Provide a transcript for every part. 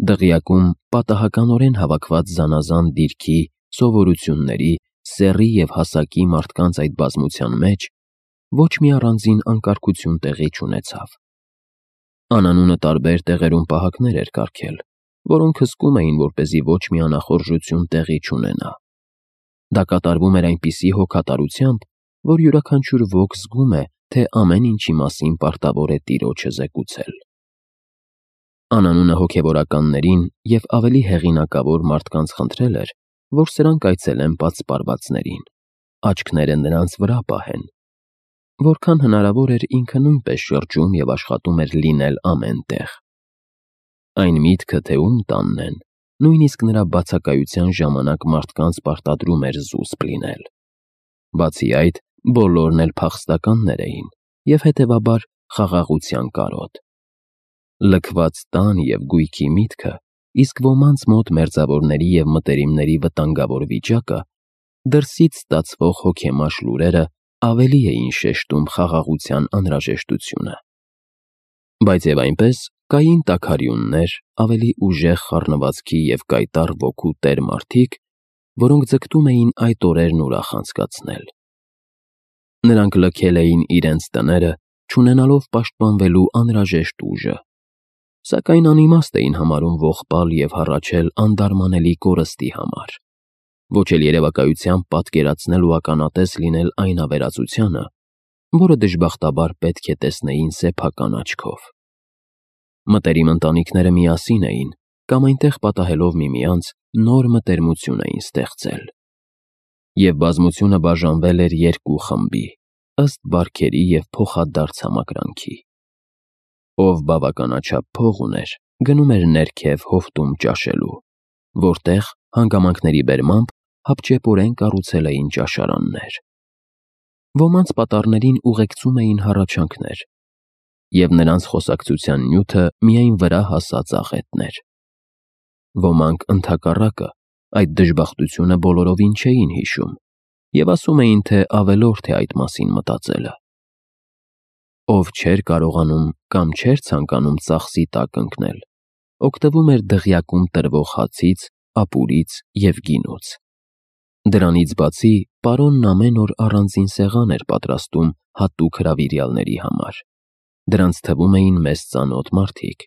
Դղյակում պատահականորեն հավաքված զանազան դիրքի, սովորությունների, սեռի և հասակի մարդկանց այդ բազմության մեջ ոչ մի առանձին անկարգություն տեղի չունեցավ։ Անանունը տարբեր տեղերում պահակներ էր կարգել, որոնք հսկում էին, որպեսզի ոչ մի անախորժություն տեղի չունենա։ Դա կատարվում էր այնպիսի հոգատարությամբ, որ յուրաքանչյուր ոք զգում է, թե ամեն ինչի մասին պարտավոր է տիրոջը զեկուցել։ Անանունը հոգևորականներին և ավելի հեղինակավոր մարդկանց խնդրել էր, որ սրանք այցելեն պատսպարվածներին, աչքները նրանց վրա պահեն։ Որքան հնարավոր էր ինքը նույնպես շրջում և աշխատում էր լինել ամեն տեղ։ Այն միտքը, թե ում տանն են, նույնիսկ նրա բացակայության ժամանակ մարդկանց պարտադրում էր զուսպ լինել։ Բացի այդ, բոլորն էլ փախստականներ էին և հետևաբար խաղաղության կարոտ։ Լքված տան և գույքի միտքը, իսկ ոմանց մոտ մերձավորների և մտերիմների վտանգավոր վիճակը, դրսից ստացվող հոգեմաշ լուրերը ավելի էին շեշտում խաղաղության անհրաժեշտությունը։ Բայց և այնպես կային տաքարյուններ, ավելի ուժեղ խառնվածքի և կայտառ ոգու տեր մարդիկ, որոնք ձգտում էին այդ օրերն ուրախ անցկացնել։ Նրանք լքել էին իրենց տները, չունենալով պաշտպանվելու անհրաժեշտ ուժը, սակայն անիմաստ էին համարում ողբալ և հառաչել անդարմանելի կորստի համար, ոչ էլ երևակայությամբ պատկերացնել ու ականատես լինել այն ավերածությանը, որը դժբախտաբար պետք է տեսնեին սեփական աչքով։ Մտերիմ ընտանիքները միասին էին կամ այնտեղ պատահելով միմյանց նոր մտերմություն էին ստեղծել։ Եվ բազմությունը բաժանվել էր երկու խմբի, ըստ բարքերի և փոխադարձ համակրանքի։ Ով բավականաչափ փող ուներ, գնում էր ներքև հովտում ճաշելու, որտեղ, հանգամանքների բերմամբ, հապճեպորեն կառուցել էին ճաշարաններ։ Ոմանց պատառներին ուղեկցում էին հառաչանքներ, և նրանց խոսակցության նյութը միայն վրա հասած աղետներ։ Ոմանք, ընդհակառակը, այդ դժբախտությունը բոլորովին չէին հիշում և ասում էին, թե ավելորդ է այդ մասին մտածելը։ Ով չէր կարողանում կամ չէր ցանկանում ծախսի տակ ընկնել, օգտվում էր դղյակում տրվող հացից, ապուրից և գինուց։ Դրանից բացի, պարոնն ամեն օր առանձին սեղան էր պատրաստում հատուկ հրավիրյալների համար։ Դրանց թվում էին մեզ ծանոթ մարդիկ։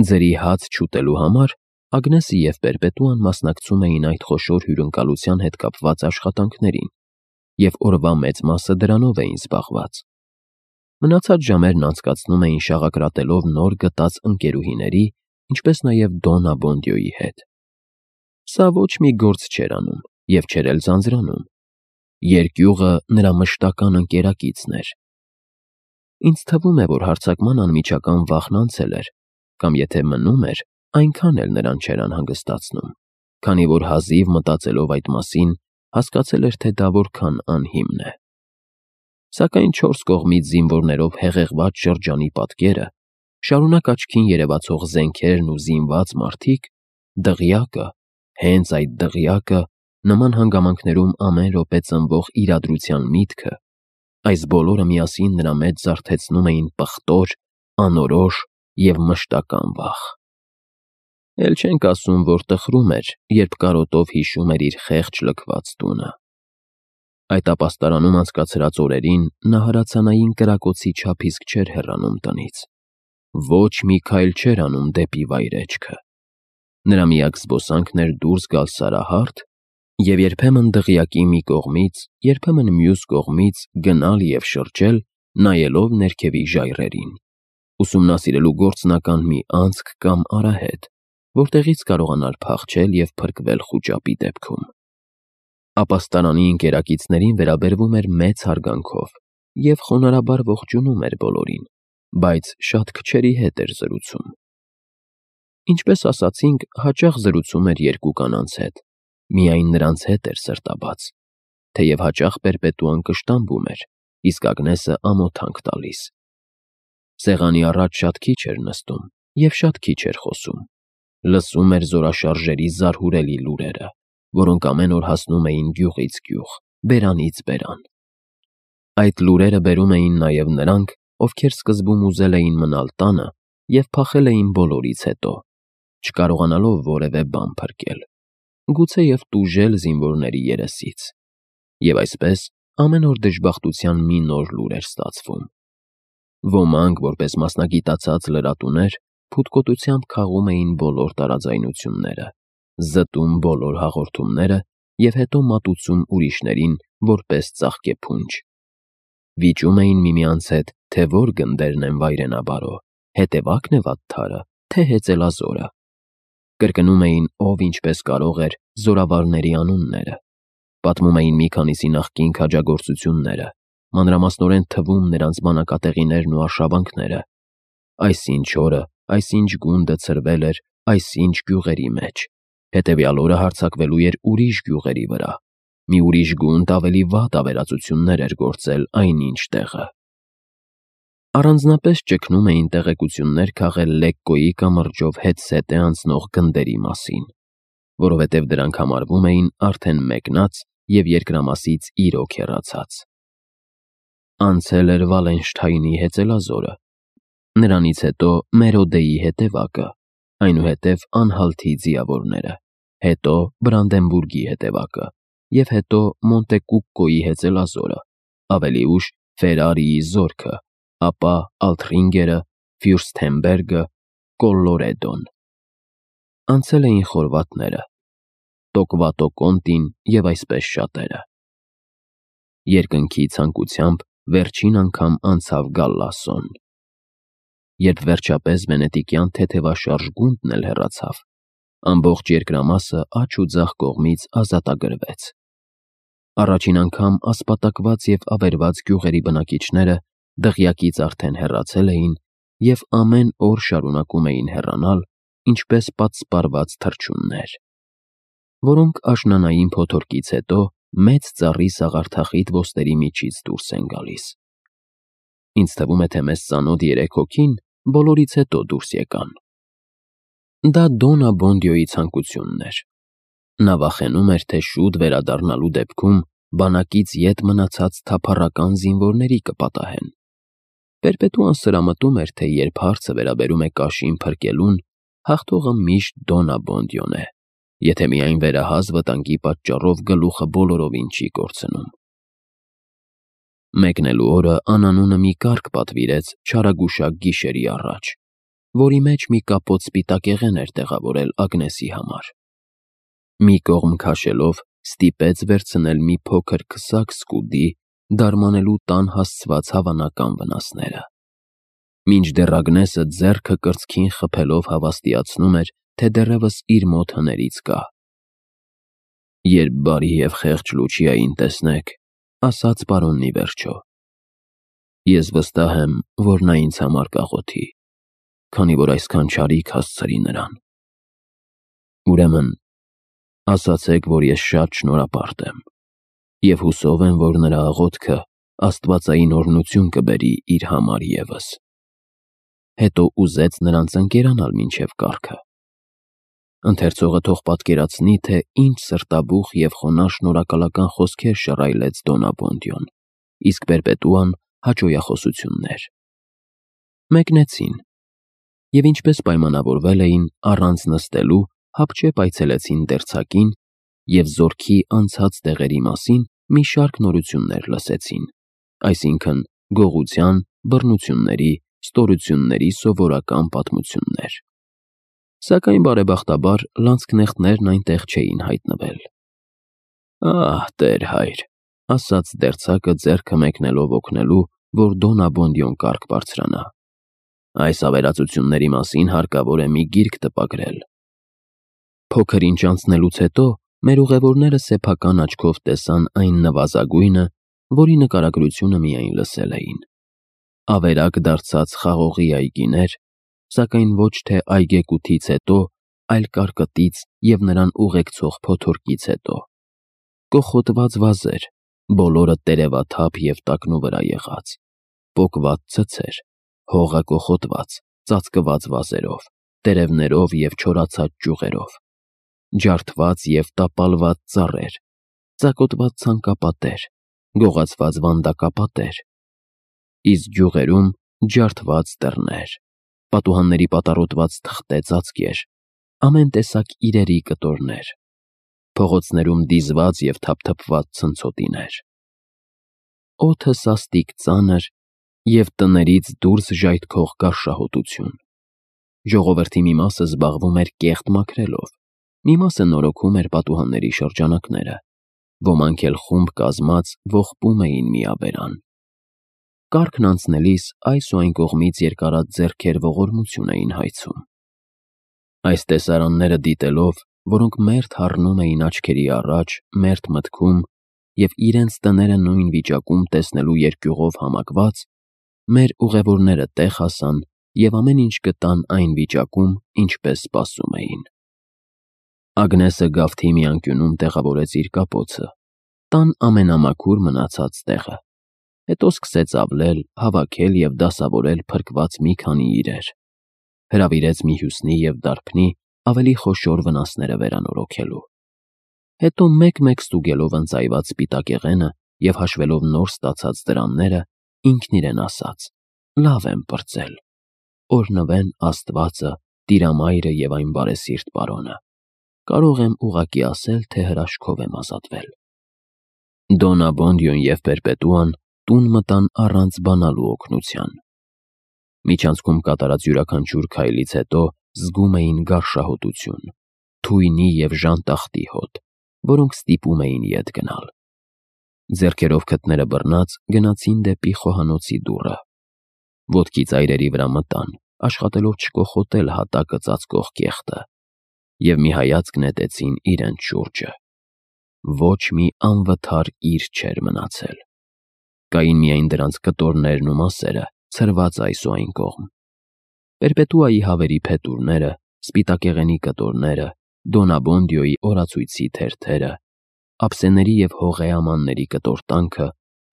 Ձրի հաց չուտելու համար Ագնեսը և Պերպետուան մասնակցում էին այդ խոշոր հյուրընկալության հետ կապված աշխատանքներին, և օրվա մեծ մասը դրանով էին զբաղված։ Մնացած ժամերն անցկացնում էին շաղակրատելով նոր գտած ընկերուհիների, ինչպես նաև Դոն Աբոնդիոյի հետ։ Սա ոչ մի գործ չէր անում և չէր էլ ձանձրանում։ Երկյուղը նրա մշտական ընկերակիցն էր։ Ինձ թվում է, որ հարձակման անմիջական վախն անցել էր, կամ եթե մնում էր, այնքան էլ նրան չէր անհանգստացնում, քանի որ հազիվ մտածելով այդ մասին, հասկացել էր, թե դա որքան անհիմն է։ Սակայն չորս կողմից զինվորներով հեղեղված շրջանի պատկերը, շարունակ աչքին երևացող զենքերն ու զինված մարդիկ, դղյակը, հենց այդ դղյակը, նման հանգամանքներում ամեն րոպե ծնվող իրադրության միտքը, այս բոլորը միասին նրա մեջ զարթեցնում էին պղտոր, անորոշ և մշտական վախ։ Էլ չենք ասում, որ տխրում էր, երբ կարոտով հիշում էր իր խեղճ լքված տունը։ Այդ ապաստարանում անցկացրած օրերին նա հրացանային կրակոցի չափ իսկ չէր հեռանում տնից։ Ոչ մի քայլ չէր անում դեպի վայրէջքը։ Նրա միակ զբոսանքն էր դուրս գալ Սարահարթ և երբեմն դղյակի մի կողմից, երբեմն մյուս կողմից գնալ և շրջել, նայելով ներքևի ժայռերին, ուսումնասիրելու գործնական մի անցք կամ արահետ, որտեղից կարողանար փախչել և փրկվել խուճապի դեպքում։ Ապաստարանի ընկերակիցներին վերաբերվում էր մեծ հարգանքով և խոնարհաբար ողջունում էր բոլորին, բայց շատ քչերի հետ էր զրուցում։ Ինչպես ասացինք, հաճախ զրուցում էր երկու կանանց հետ, միայն նրանց հետ էր սրտաբաց, թեև հաճախ Պերպետուան կշտամբում էր, իսկ Ագնեսը ամոթանք տալիս։ Սեղանի առաջ շատ քիչ էր նստում և շատ քիչ էր խոսում։ Լսում էր զորաշարժերի զարհուրելի լուրերը, որոնք ամեն օր հասնում էին գյուղից գյուղ, բերանից բերան։ Այդ լուրերը բերում էին նաև նրանք, ովքեր սկզբում ուզել էին մնալ տանը և փախել էին բոլորից հետո, չկարողանալով որևէ բան փրկել, գուցեև տուժել զինվորների երեսից, և այսպես ամեն օր դժբախտության մի նոր լուր էր ստացվում։ Ոմանք, որպես մասնագիտացած լրատուներ, փութկոտությամբ քաղում էին բոլոր տարաձայնությունները, զտում բոլոր հաղորդումները և հետո մատուցում ուրիշներին որպես ծաղկեփունջ։ Վիճում էին միմյանց հետ, թե որ գնդերն են վայրենաբարո, հետևակն է վատթարը, թե հեծելազորը։ Կրկնում էին, ով ինչպես կարող էր, զորավարների անունները։ Պատմում էին մի քանիսի նախկին քաջագործությունները, մանրամասնորեն թվում նրանց բանակատեղիներն ու արշավանքները։ Այսինչ օրը, այսինչ գունդը ցրվել էր այսինչ գյուղերի մեջ, հետևյալ օրը հարձակվելու էր ուրիշ գյուղերի վրա։ Մի ուրիշ գունդ ավելի վատ ավերածություններ էր գործել այնինչ տեղը։ Առանձնապես ճգնում էին տեղեկություններ քաղել Լեկկոյի կամրջով հետզհետե անցնող գնդերի մասին, որովհետև դրանք համարվում էին արդեն մեկնած և երկրամասից իրոք հեռացած։ Անցել էր Վալենշթայնի հեծելազորը, նրանից հետո Մերոդեի հետևակը, այնուհետև Անհալթի ձիավորները, հետո Բրանդենբուրգի հետևակը և հետո Մոնտեկուկկոյի հեծելազորը, ավելի ուշ Ֆերարիի զորքը, ապա Ալթրինգերը, Ֆյուրստենբերգը, Կոլլորեդոն։ Անցել էին խորվաթները, Տոկվատո Կոնտին և այսպես շատերը։ Երկնքի ցանկությամբ վերջին անգամ անցավ Գալլասոն։ Երբ վերջապես վենետիկյան թեթևաշարժ գունդն էլ հեռացավ, ամբողջ երկրամասը աջ ու ձախ կողմից ազատագրվեց։ Առաջին անգամ ասպատակված և ավերված գյուղերի բնակիչները դղյակից արդեն հեռացել էին և ամեն օր շարունակում էին հեռանալ, ինչպես պատսպարված թռչուններ, որոնք աշնանային փոթորկից հետո մեծ ծառի սաղարթախիտ ոսტերի միջից դուրս են գալիս։ Ինձ թվում է, թե մեզ ծանոթ երեք հոգին բոլորից հետո դուրս եկան։ Դա Դոննա Բոնդիոյի ցանկությունն էր։ Նա վախենում էր, թե շուտ վերադառնալու դեպքում բանակից ետ մնացած թափառական զինվորների կպատահեն։ Պերպետուան սրամտում էր, թե երբ հարցը վերաբերում է կաշին փրկելուն, հաղթողը միշտ Դոննա Բոնդիոն է, եթե միայն վերահաս վտանգի պատճառով գլուխը բոլորովին չի կորցնում։ Մեկնելու օրը անանունը մի կարգ պատվիրեց չարագուշակ գիշերի առաջ, որի մեջ մի կապոտ սպիտակեղեն էր տեղավորել Ագնեսի համար։ Մի կողմ քաշելով ստիպեց վերցնել մի փոքր քսակ սկուդի, դարմանելու տան հասցված հավանական վնասները։ Մինչդեռ Ագնեսը ձեռքը կրծքին խփելով հավաստիացնում էր, թե դեռևս իր մոտ հներից կա։ «Երբ բարի և խեղճ Լուչիային տեսնեք, ասաց պարոնն ի վերջո, ես վստահ եմ, որ նա ինձ համար կաղոթի, քանի որ այսքան չարիք հասցրի նրան։ Ուրեմն, ասացեք, որ ես շատ շնորհապարտ եմ և հուսով եմ, որ նրա աղոթքը աստվածային օրհնություն կբերի իր համար ևս»։ Հետո ուզեց նրանց ընկերանալ մինչև կառքը։ Ընթերցողը թող պատկերացնի, թե ինչ սրտաբուխ և խոնարհ շնորհակալական խոսքեր շռայլեց Դոննա Բոնդիոն, իսկ Պերպետուան հաճոյախոսություններ։ Մեկնեցին, և ինչպես պայմանավորվել էին, առանց նստելու հապճեպ այցելեցին դերձակին և զորքի անցած տեղերի մասին մի շարք նորություններ լսեցին, այսինքն՝ գողության, բռնությունների, ստորությունների սովորական պատմություններ։ Սակայն բարեբախտաբար լանցքնեխտներն այնտեղ չէին հայտնվել։ «Ահ, տեր-հայր», ասաց դերձակը ձեռքը մեկնելով օգնելու, որ Դոննա Բոնդիոն կարգ բարձրանա, «այս ավերածությունների մասին հարկավոր է մի գիրք տպագրել»։ Փոքր ինչ անցնելուց հետո մեր ուղևորները սեփական աչքով տեսան այն նվազագույնը, որի նկարագրությունը միայն լսել էին։ Ավերակ դարձած խաղողի այգիներ, սակայն ոչ թե այգեկութից հետո, այլ կարկտից և նրան ուղեկցող փոթորկից հետո։ Կոխոտված վազեր, բոլորը տերևաթափ և տակնու վրա եղած, պոկված ցցեր, հողը կոխոտված, ծածկված վազերով, տերևներով և չորացած ճյուղերով, ջարդված և տապալված ծառեր, ծակոտված ցանկապատեր, գողացված վանդակապատեր, իսկ գյուղերում ջարդված դռներ, պատուհանների պատառոտված թղթե ծածկեր, ամեն տեսակ իրերի կտորներ, փողոցներում դիզված և թափթփված ցնցոտիներ։ Օդը սաստիկ ծանր և տներից դուրս ժայթքող գարշահոտություն։ Ժողովրդի մի մասը զբաղվում էր կեղտ մաքրելով, մի մասը նորոգում էր պատուհանների շրջանակները, ոմանք էլ խումբ կազմած ողբում էին միաբերան։ Կառքն անցնելիս այս ու այն կողմից երկարած ձեռքեր ողորմություն էին հայցում։ Այս տեսարանները դիտելով, որոնք մերթ հառնում էին աչքերի առաջ, մերթ մտքում և իրենց տները նույն վիճակում տեսնելու երկյուղով համակված, մեր ուղևորները տեղ հասան և ամեն ինչ գտան այն վիճակում, ինչպես սպասում էին։ Ագնեսը գավթի մի անկյունում տեղավորեց իր կապոցը, տան ամենամաքուր մնացած տեղը, հետո սկսեց ավլել, հավաքել և դասավորել փրկված մի քանի իրեր, հրավիրեց Միհյուսնի և դարբնի ավելի խոշոր վնասները վերանորոգելու։ Հետո մեկ-մեկ ստուգելով ընծայված սպիտակեղենը և հաշվելով նոր ստացած դրամները, ինքն իրեն ասաց. «Լավ եմ պրծել, օրհնվեն Աստվածը, Տիրամայրը և այն բարեսիրտ պարոնը, կարող եմ ուղղակի ասել, թե հրաշքով եմ ազատվել»։ Դոն Աբոնդիոն և Պերպետուան տուն մտան առանց բանալու օգնության։ Միջանցքում կատարած յուրաքանչյուր քայլից հետո զգում էին գարշահոտություն, թույնի և ժանտախտի հոտ, որոնք ստիպում էին ետ գնալ։ Ձեռքերով քթները բռնած գնացին դեպի խոհանոցի դուռը։ Ոտքի ծայրերի վրա մտան, աշխատելով չկոխոտել հատակը ծածկող կեղտը, և մի հայացք նետեցին իրենց շուրջը։ Ոչ մի անվթար իր չէր մնացել։ Կային միայն դրանց կտորներն ու մասերը, ցրված այս ու այն կողմ։ Պերպետուայի հավերի փետուրները, սպիտակեղենի կտորները, Դոն Աբոնդիոյի օրացույցի թերթերը, ափսեների և հողեամանների կտորտանքը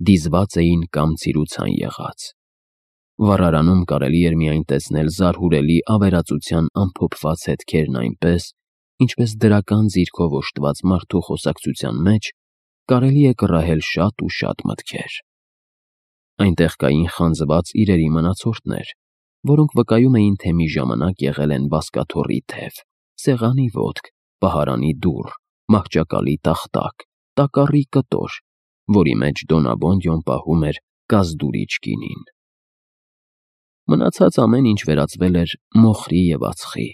դիզված էին կամ ցիրուցան եղած։ Վառարանում կարելի էր միայն տեսնել զարհուրելի ավերածության ամփոփված հետքերն այնպես, ինչպես դրական ձիրքով օժտված մարդու խոսակցության մեջ կարելի է կռահել շատ ու շատ մտքեր։ Այնտեղ կային խանձված իրերի մնացորդներ, որոնք վկայում էին, թե մի ժամանակ եղել են բազկաթոռի թև, սեղանի ոտք, պահարանի դուռ, մահճակալի տախտակ, տակառի կտոր, որի մեջ Դոն Աբոնդիոն պահում էր կազդուրիչ գինին։ Մնացած ամեն ինչ վերածվել էր մոխրի և ածխի։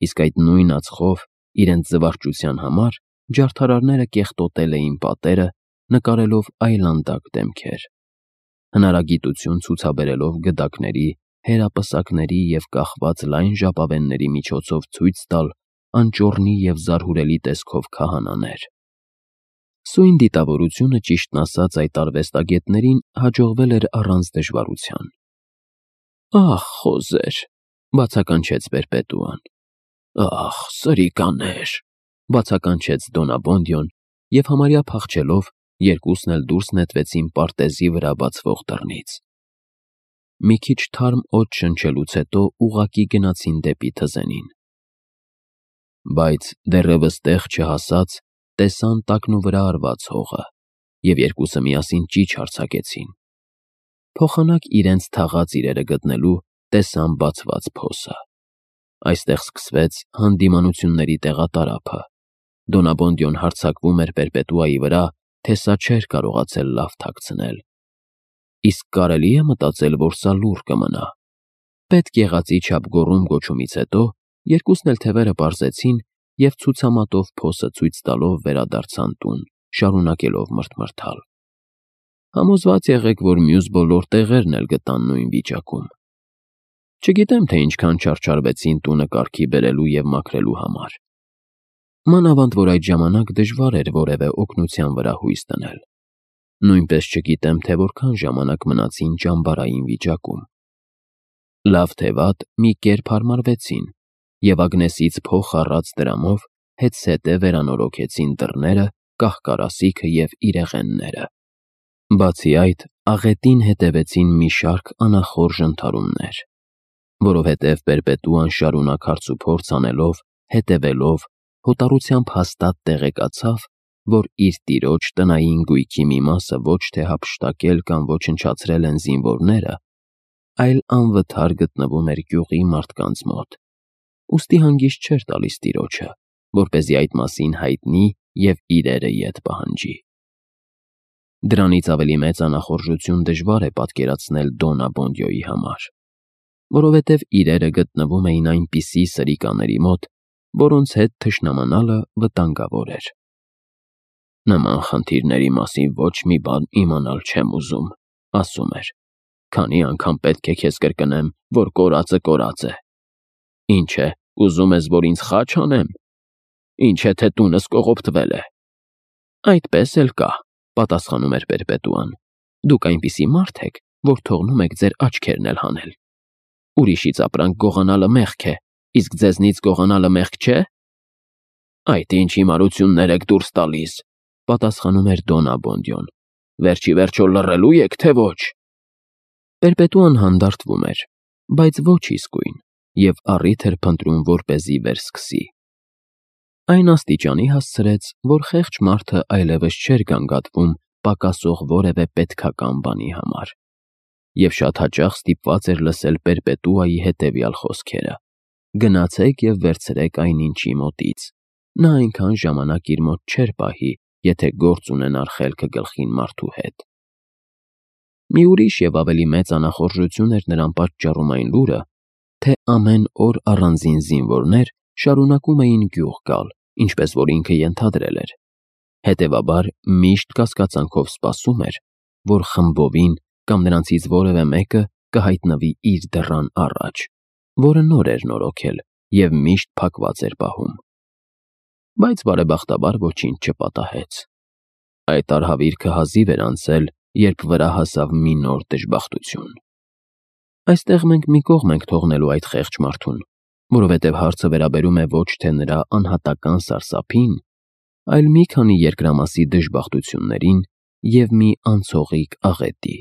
Իսկ այդ նույն ածխով, իրենց զվարճության համար, ջարդարարները կեղտոտել էին պատերը, նկարելով այլանդակ դեմքեր, հնարագիտություն ցուցաբերելով գդակների, հերապսակների և կախված լայն ժապավենների միջոցով ցույց տալ անճոռնի և զարհուրելի տեսքով քահանաներ։ Սույն դիտավորությունը, ճիշտն ասած, այդ արվեստագետներին հաջողվել էր առանց դժվարության։ «Ախ, խոզեր», բացականչեց Պերպետուան։ «Ախ, սրիկաներ», բացականչեց Դոն Աբոնդիոն և համարյա փախչելով երկուսն էլ դուրս նետվեցին պարտեզի վրա բացվող դռնից։ Մի քիչ թարմ օդ շնչելուց հետո ուղղակի գնացին դեպի թզենին։ Բայց դեռևս տեղ չհասած, տեսան տակնուվրա արված հողը, և երկուսը միասին ճիչ արձակեցին։ Փոխանակ իրենց թաղած իրերը գտնելու տեսան բացված փոսը։ Այստեղ սկսվեց հանդիմանությունների տեղատարափը։ Դոն Աբոնդիոն հարձակվում էր Պերպետուայի վրա, թե սա չէր կարողացել լավ թաքցնել։ Իսկ կարելի է մտածել, որ սա լուռ կմնա։ Պետք եղածի չափ գոռում-գոչումից հետո երկուսն էլ թևերը պարզեցին և ցուցամատով փոսը ցույց տալով վերադարձան տուն, շարունակելով մռթմռթալ։ Համոզված եղեք, որ մյուս բոլոր տեղերն էլ գտան նույն վիճակում։ Չգիտեմ, թե ինչքան չարչարվեցին տունը կարգի բերելու և մաքրելու համար։ Մանավանդ որ այդ ժամանակ դժվար էր որևէ օգնության վրա հույս դնել։ Նույնպես չգիտեմ, թե որքան ժամանակ մնացին ճամբարային վիճակում։ Լավ թե վատ մի կերպ հարմարվեցին և Ագնեսից փող առած դրամով հետզհետե վերանորոգեցին դռները, կահ֊կարասիքը և իրեղենները։ Բացի այդ, աղետին հետևեցին մի շարք անախորժ ընդհարումներ, որովհետև Պերպետուան շարունակ հարցուփորձ անելով, հետևելով, հոտառությամբ հաստատ տեղեկացավ, որ իր տիրոջ տնային գույքի մի մասը ոչ թե հափշտակել կամ ոչնչացրել են զինվորները, այլ անվթար գտնվում էր գյուղի մարդկանց մոտ, ուստի հանգիստ չէր տալիս տիրոջը, որպեսզի այդ մասին հայտնի և իրերը ետ պահանջի։ Դրանից ավելի մեծ անախորժություն դժվար է պատկերացնել Դոննա Բոնդյոյի համար, որովհետև իրերը գտնվում էին այնպիսի սրիկաների մոտ, որոնց հետ թշնամանալը վտանգավոր էր։ «Նման խնդիրների մասին ոչ մի բան իմանալ չեմ ուզում», ասում էր, «քանի անգամ պետք է քեզ կրկնեմ, որ կորածը կորած է։ Ինչ է, ուզում ես, որ ինձ խաչ անեմ։ Ինչ է, թե տունս կողոպտվել է»։ «Այդպես էլ կա», պատասխանում էր Պերպետուան, «դուք այնպիսի մարդ եք, որ թողնում եք ձեր աչքերն էլ հանել։ Ուրիշից ապրանք գողանալը մեղք է, իսկ ձեզնից գողանալը մեղք չէ»։ «Այդ ինչ հիմարություններ եք դուրս տալիս», պատասխանում էր Դոննա Բոնդյոն, «վերջի վերջո լռելու եք, թե ոչ»։ Պերպետուան հանդարտվում էր, բայց ոչ իսկույն, և առիթ էր փնտրում, որպեսզի վերսկսի։ Այն աստիճանի հասցրեց, որ խեղճ մարդը այլևս չէր գանգատվում պակասող որևէ պետքական բանի համար, և շատ հաճախ ստիպված էր լսել Պերպետուայի հետևյալ խոսքերը. «Գնացեք և վերցրեք այնինչի մոտից, նա այնքան ժամանակ իր մոտ չէր պահի, եթե գործ ունենար խելքը գլխին մարդու հետ»։ Մի ուրիշ և ավելի մեծ անախորժություն էր նրան պատճառում այն լուրը, թե ամեն օր առանձին զինվորներ շարունակում էին գյուղ գալ, ինչպես որ ինքը ենթադրել էր։ Հետևաբար միշտ կասկածանքով սպասում էր, որ խմբովին կամ նրանցից որևէ մեկը կհայտնվի իր դռան առաջ, որը նոր էր նորոգել և միշտ փակված էր պահում։ Բայց բարեբախտաբար ոչինչ չպատահեց։ Այդ արհավիրքը հազիվ էր անցել, երբ վրա հասավ մի նոր դժբախտություն։ Այստեղ մենք մի կողմ ենք թողնելու այդ խեղճ մարդուն, որովհետև հարցը վերաբերում է ոչ թե նրա անհատական սարսափին, այլ մի քանի երկրամասի դժբախտություններին և մի անցողիկ աղետի։